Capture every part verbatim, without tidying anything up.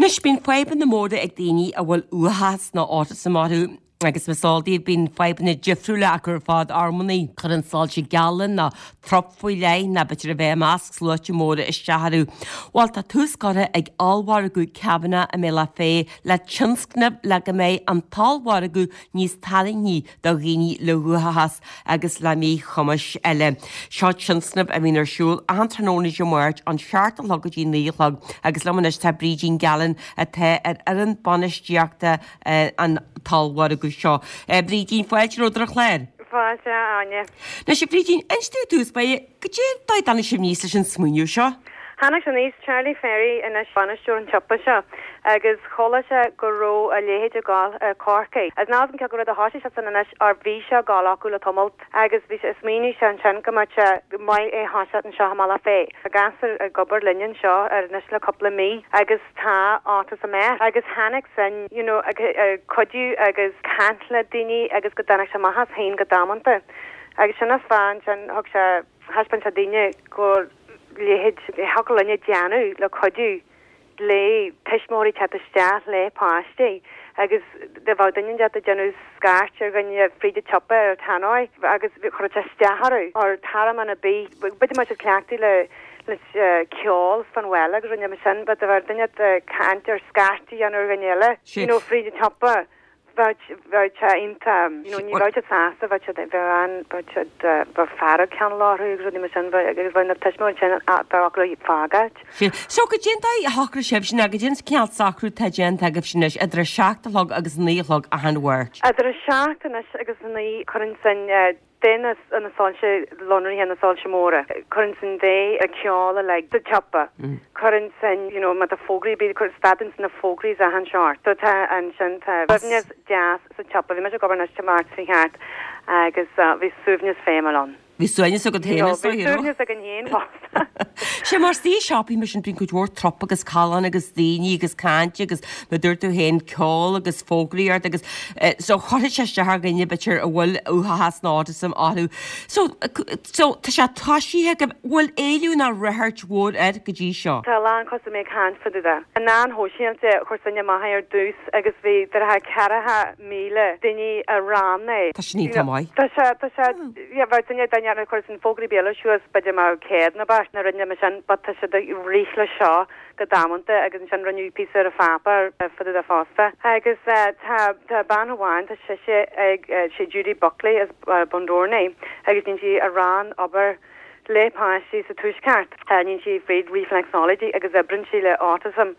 Anois bíonn fadhbanna móra ag daoine a bhfuil uathachas nó autism orthu agus más eol daoibh bíonn fadhbanna difriúla acu ar fad amannaí. Cuireann soilse geala nó trup faoi leith nó b'fhéidir a bheith i measc sluaite móra isteach orthu. Bhuel tá tús curtha ag ollmhargadh Kavanagh i mBealach Féich le tionscnamh le go mbeidh an t-ollmhargadh níos tarraingthí do dhaoine le huathachas agus le míchumais eile. Seo tionscnamh a bhíonn ar siúl achan tráthnóna Dé Máirt ón seacht a chlog go dtí naoi a chlog agus liom anois tá Brídín Gallen atá ar fhoireann bainistíochta an t-ollmhargadh seo. Brídín, fáilte romhat ar an chlár. Fáilte, Áine. Anois, a Bhrídín, inis domh i dtús báire, goidé an dóigh a dtáinig sibh aníos leis an smaoineamh seo? Tháinig sé aníos, Charlie Ferry anois bainisteoir an tsiopa seo agus chuala sé go raibh a leithéid ag gabháil i Corcaigh. Agus níl a fhios agam cé acu rud a thoisigh sé san anois or bhí sé ag gabháil acu le tamalt agus bhí sé smaoinigh sé ansin go mbeadh sé maith é a thoiseacht anseo i mBealach Féich. Tá gasúr ag obair linn anseo ar anois le cúpla mí agus tá autism air agus tháinig sin you know ag ag cuidiú agus caint le daoine agus go dtáinig sé amach as féin go damanta. Agus sin an fáth ansin thug sé thaispeáin sé daoine go leithéid thiocfadh linne déanamh le cuidiú le tuismitheoirí teacht isteach le páistí agus dá bheadh duine inteacht ag déanamh scairt ar dhuine fríd an tsiopa ar tannoy agus chuirfeadh sé isteach orthu or tormán ar bith b'fhéidir mbeadh siad cleachtaithe le le ceol fan bhaile agus rinne sin but dá bheadh duine ag caint ar scairt a dhéanamh ar dhuine eile you know fríd an tsiopa bheadh bheadh sé iontach you know ní bheadh siad sásta bheadh siad bheadh an bheadh siad bheadh fearg ceann orthu agus rudaí mar sin agus bheadh na tuismitheoirí sin bheadh acu le fágáil. So goidé an dóigh a shocraigh sibh sin goidé an cineál socrú atá déanta agaibh sin anois idir a seacht a chlog agus naoi a chlog achan Mháirt. Idir a seacht anois agus a naoi cuireann sin duine na soilse lonraithe na soilse móra. Cuireann sin dé a ceol like sa tsiopa. Cuireann sin you know má tá fógraí bí chur stadan na fógraí achan seort. So tá ansin tá suaimhneas deas sa tsiopa, bhí mé ag obair anois Dé Máirt seo thart agus bhí suaimhneas feimiúil ann. Bhí suaimhneas agat féin is dóigh, Suaimhneas againn féin fosta. Sé mar is siopaí mar sin bíonn cuid mhór trup agus callán agus daoine agus caint agus mar dúirt tú féin ceol agus fógraíocht agus so chuirfeadh sé isteach ar dhuine b'fhéidir a bhfuil uathachas nó autism orthu. So so tá sé toisithe go bhfuil éileamh nó ráchairt mhór air go dtí seo. Tá a lán custaiméirí ag caint fá dtaobh de. Na meáin shóisialta chuir sin amach ar dtús agus bhí deartha ceathracha míle duine a roghnaigh. Tá sin iontach maith. Tá sé tá sé yeah bheadh duine duine a chuir sin fógraí béil suas b'fhéidir mar céad nó beirt na rinne mar sin but tá siad ag rith le seo go damanta agus ansin rinneadh píosa ar an pháipéar fá dtaobh de fosta. Agus tá tá bean amháin tá sise ag sé Judy Buckley as Bundoran agus níonn sí a rán obair le páistí sa tuaisceart. Níonn sí fríd reflexology agus oibríonn sí le autism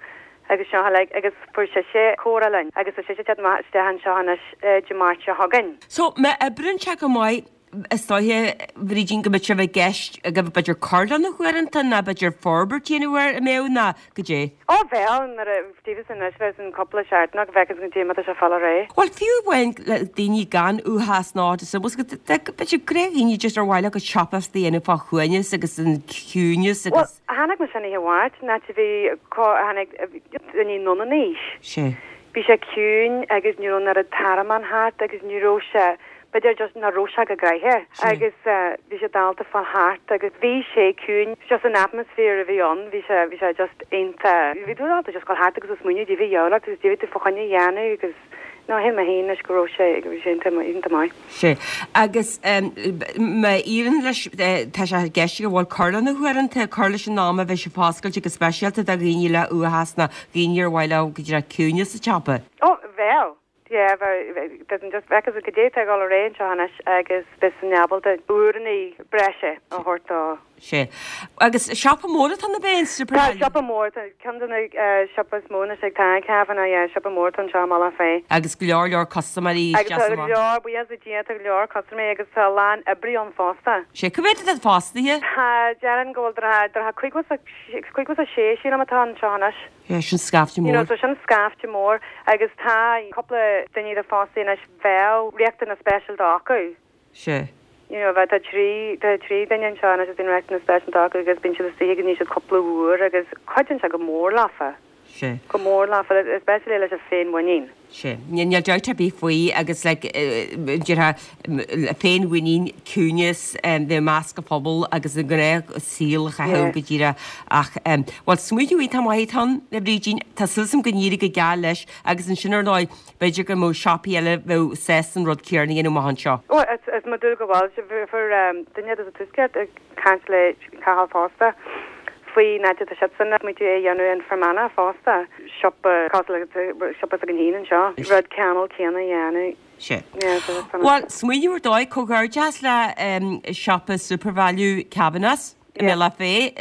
agus seo like agus fuair sise comhrá linn agus tá sise teacht amach isteach anseo anois Dé Máirt seo chugainn. So má oibríonn sé go maith is dóiche Bhrídín go mbeadh sibh i gceist go b'fhéidir cur lena huaireanta nó b'fhéidir forbairt a dhéanamh air a mbeadh nó goidé. Ó bheadh nuair a díobh anois bheith an cúpla seachtain go bhfeicfeas go dtí má tá sé fáil réidh. Bhuel fiú amháin le daoine gan uathachas nó autism b'fhéidir gnáthdhaoine just ar mhaith leo go siopadóireacht a dhéanamh fá shuaimhneas agus an ciúineas Well agus. tháinig mé sin oíche Mháirt ná bhí tháinig daoine anonn in aois. Sé. Bhí sé ciúin agus ní raibh an oiread tormán thart agus ní raibh sé b'fhéidir just nach raibh sé go gnoitheach agus bhí sé dálta fáil thart agus bhí sé ciúin just an atmosphere a bhí ann bhí sé bhí sé just iontach bhí tú dálta just dul thart agus ag smaoineamh bhí dheabhlacht agus bhí tú fá choinne a dhéanamh agus no shíl mé féin leis go raibh sé bhí sé iontach iontach maith. Sé agus má éiríonn leis tá sé i gceist go bhfuil cur lena huaireanta cur leis an am a bheidh sé foscailte go speisialta do dhaoine le uathachas nó daoine ar mhaith leo go dtí ciúineas sa tsiopa. Ó bheadh Yeah, doesn't just bheith go dé tá gáil réon seo anois agus bheith san ábalta uaireanta breise a thabhairt dó. Sé. Agus siopa mór atá na bhéin Tá siopa mór ceann de na siopa is mó na sé tá Kavanagh yeah, siopa mór an seo Bealach Féich. Agus go leor leor custaiméirí Agus tá go leor buíochas le Dia tá go leor custaiméirí agus tá lán oibrí ann fosta. Sé cá mhéad atá fostaithe? Tá déarfainn go bhfuil idir caoga is a sé sílim atá anseo anois. Yeah, sin scaifte You know, mór. so sin scaifte mór agus tá cúpla duine de fostaí anois bheadh riachtanas speisialta acu. Sé. You know, bheith tá trí tá trí duine anseo anois is bíonn riachtanas speisialta acu agus bíonn siad istigh go ní siad cúpla uair agus cuidíonn sé go mór leofa. Sea. Go mór leofa, especially leis an féinmhuinín. Sea. Níl dabht ar bith faoi agus like déarfá féinmhuinín, ciúineas, bheith i measc an phobail agus an gnáth saol a chaitheamh go díreach ach bhuel smaoineamh iontach maith atá ann a Bhrídín, tá súil agam go n-éireoidh go geal leis agus ansin ar ndóigh b'fhéidir go mbeadh siopaí eile bheadh sásta an rud céanna a dhéanamh amach anseo. Bhuel is mo dúil go bhfuil, fuair duine de sa Tuaisceart ag caint le Cathal fosta. Faoin áit atá siadsan ag smaointiú é a dhéanamh in Fermanagh fosta, siopa cosúil le siopa s'againn féin anseo, rud cineál céanna a dhéanamh. Sea. Bhuel, smaoineamh ar dóigh, comhghairdeas le siopa Supervalu Kavanagh i mBealach Féich,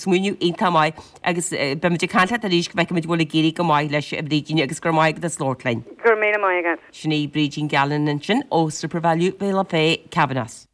smaoineamh iontach maith agus beimid ag caint leat arís go bhfeicfimid an bhfuil ag éirí go maith leis a Bhrídín agus go raibh maith agat as labhairt linn. Go raibh míle maith agat. Sin í Brídín Gallen ansin ó Supervalu Bealach Féich, Kavanagh.